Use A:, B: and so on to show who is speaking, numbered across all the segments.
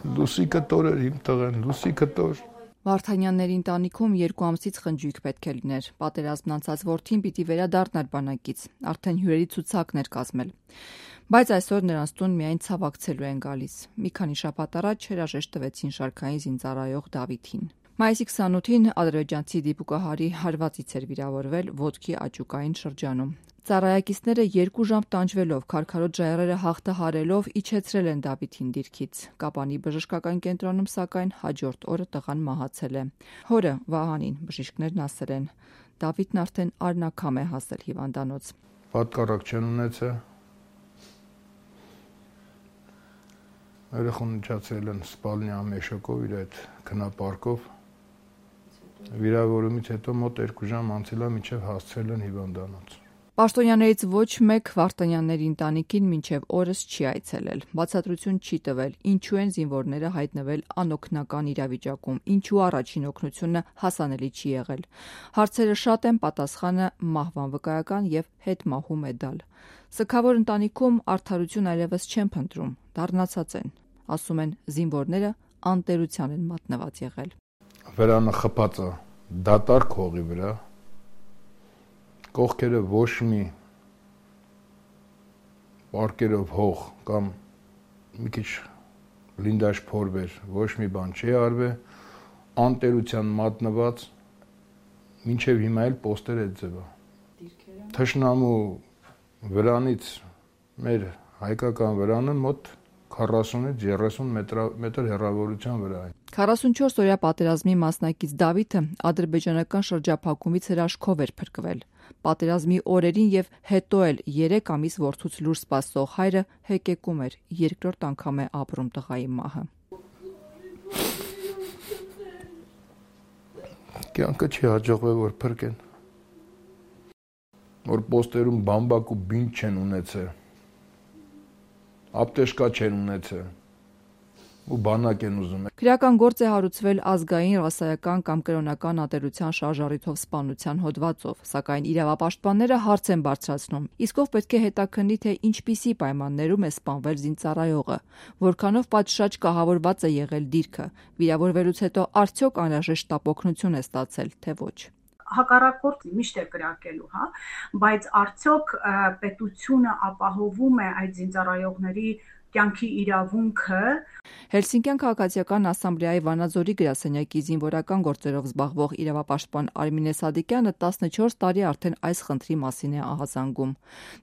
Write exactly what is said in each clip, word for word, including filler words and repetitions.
A: Լուսիկը տոր էր իմ տղեն, լուսիկը տոր։
B: Վարդանյանների ընտանիքում երկու ամսից խնջույք պետք է լիներ։ Պատերազմն անցած որդին պիտի վերադառնար բանակից, արդեն հյուրերի ցուցակն էր կազմել։ Բայց այսօր նրանց տուն միայն ցավակցելու են գալիս։ Մի քանի շաբաթ առաջ հրաժեշտ տվեցին շարքային զինծառայող Դավիթին։ Մայիսի քսանութին ադրբեջանցի դիպուկահարի հարվածից էր վիրավորվել ոտքի աճուկային շրջանում։ Ծառայակիցները երկու ժամ տանջվելով, քարքարոտ ժայռերը հաղթահարելով իջեցրել են Դավիթին դիրքից։ Կապանի բժշկական կենտրոնում սակայն հաջորդ օրը տղան մահացել է։ Հորը Վահանին բժիշկներն ասել են, Դավիթն արդեն արնաքամ է հասել հիվանդանոց։
A: Պատկառակ չեն ունեցել։ Երեխան իջացել են սպալնի ամեշոկով իր այդ քնապարկով։ Վիրավորումից հետո մոտ երկու ժամ անցել է, մինչև հասցրել են հիվանդանոց։
B: Պաշտոնյաներից ոչ մեկ Վարդանյանների ընտանիքին մինչև օրս չի այցելել, բացատրություն չի տվել, ինչու են զինվորները հայտնվել անօգնական իրավիճակում, ինչու առաջին օգնությունը հասանելի չի եղել։ Հարցերը շատ են, պատասխանը մահվան վկայական եւ հետմահու մեդալ։ Սգավոր ընտանիքում արդարություն այլևս չեն փնտրում, դառնացած են, ասում են զինվորները անտերության են մատնված եղել։
A: Վրանը խփած է դատարկ հողի վրա։ Կողքերը ոչ մի պարկերով հող կամ մի քիչ լինդաշ փորվեր, ոչ մի բան չի արվել, անտերության մատնված, մինչև հիմա էլ պոստեր այդ ձևը։ Թշնամու վրանից մեր հայկական վրանը մոտ քառասունից երեսուն մետր հեռավորության վրա է։
B: քառասունչորս օրյա պատերազմի մասնակից Դավիթը ադրբեջանական շրջափակումից հրաշքով էր փրկվել։ Պատերազմի օրերին եւ հետո էլ երեք ամիս որդուց լուր սպասող հայրը հեկեկում էր, երկրորդ անգամ է ապրում տղայի մահը։
A: Կյանքը չի հաջողվել, որ փրկեն։ Որ պոստերում բամբակ ու բինտ չեն ունեցել։ Ապտեշկա չեն ունեցել ու բանակ են ուզում։
B: Քրեական գործ է հարուցվել ազգային, ռասայական կամ կրոնական ատելության շարժառիթով սպանության հոդվածով, սակայն իրավապաշտպանները հարց են բարձրացնում, իսկ ով պետք է հետաքննի, թե ինչպիսի պայմաններում է սպանվել զինծառայողը, որքանով պատշաճ կահավորված է եղել դիրքը, վիրավորվելուց հետո արդյոք անհրաժեշտ տապօգնություն է ստացել, թե ոչ։
C: Հակառակորդ միշտ է կրակելու, հա, բայց արդյոք պետությունը ապահովում է այդ զինծառայողների կյանքի իրավունքը։
B: Հելսինկյան քաղաքացիական ասամբլեայի Վանաձորի գրասենյակի զինվորական գործերով զբաղվող իրավապաշտպան Արմինե Սադիկյանը տասնչորս տարի արդեն այս խնդրի մասին է ահազանգում։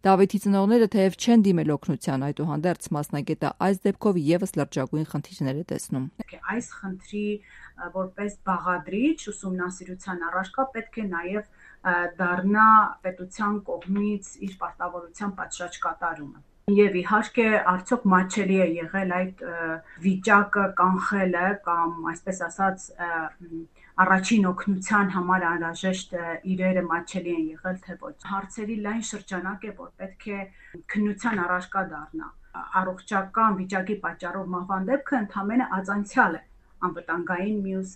B: Դավիթի ծնողները թեև չեն դիմել օգնության, այդուհանդերձ մասնագետը այս դեպքով եւս լրջագույն խնդիրներ է տեսնում։
C: Այս խնդրի որպես բաղադրիչ ուսումնասիրության առարկա պետք է նաև դառնա պետության կողմից իր պարտավորության պատշաճ կատարումը։ Եվ իհարկե արդյոք մատչելի է եղել այդ վիճակը կանխելը կամ այսպես ասած առաջին օգնության համար անհրաժեշտ իրերը մատչելի են եղել թե ոչ։ Հարցերի լայն շրջանակ է, որ պետք է քննության առարկա դառնա։ Առողջական վիճակի պատճառով մահվան դեպքը ընդհանրապես ածանցյալ է անվտանգային մյուս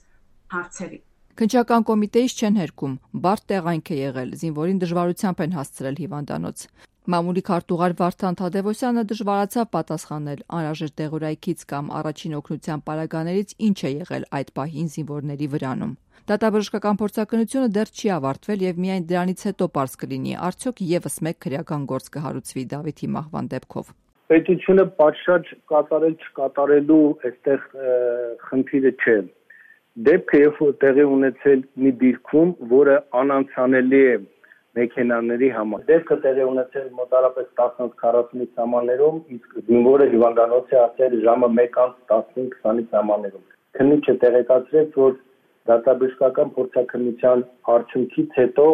C: հարցերի։
B: Քննչական կոմիտեից չեն հերքում, բարդ տեղանք է եղել, զինվորին դժվարությամբ են հասցրել հիվանդանոց։ Մամուլի քարտուղար Վարդան Թադևոսյանը դժվարացավ պատասխանել անհրաժեշտ դեղորայքից կամ առաջին օգնության պարագաներից ինչ է եղել այդ պահին զինվորների վրանում։ Դատաբժշկական փորձակնությունը դեռ չի ավարտվել եւ միայն դրանից հետո պարզ կլինի, արդյոք եւս մեկ քրեական գործ կհարուցվի Դավիթի մահվան դեպքով։
D: Պետությունը պատշաճ կատարել չկատարելու այստեղ խնդիրը չէ։ Դեպքը երբ որ տեղի ունեցել մի դիրքում, որը անանցանելի է մեքենաների համար։ Դեպքը տեղի ունեցել մոտարապես տասնից քառասունից սամաններում, իսկ զինվորը հիվանդանոց է ասել ժամը մեկից տասնից քսանից սամաններում։ Քննիչը տեղեկացրեց, որ դատաբժշկական փորձաքննության արդյունքից հետո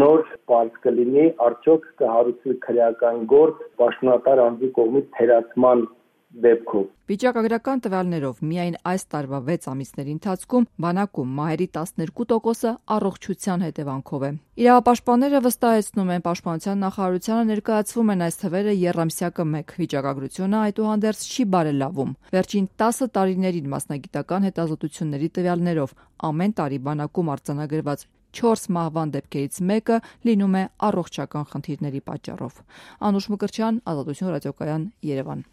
D: նոր պարզ կլինի, արդյոք կհարուցվի քրեական գործ պաշտոնատար անձի կողմից թերացման դեպքով։
B: Վիճակագրական տվյալներով միայն այս տարվա վեց ամիսների ընթացքում բանակում մահերի տասներկու տոկոսը առողջության հետևանքով է։ Իրավապաշտպանները վստահեցնում են, Պաշտպանության նախարարությանը ներկայացվում են այս թվերը եռամսյակը մեկ։ Վիճակագրությունը այդուհանդերձ չի բարելավում։ Վերջին տասը տարիներին մասնագիտական հետազոտությունների տվյալներով ամեն տարի բանակում արձանագրված չորս մահվան դեպքերից մեկը լինում է առողջական խնդիրների պատճառով։ Անուշ Մկրտչյան, Ազատություն ռադիոկայան, Երևան։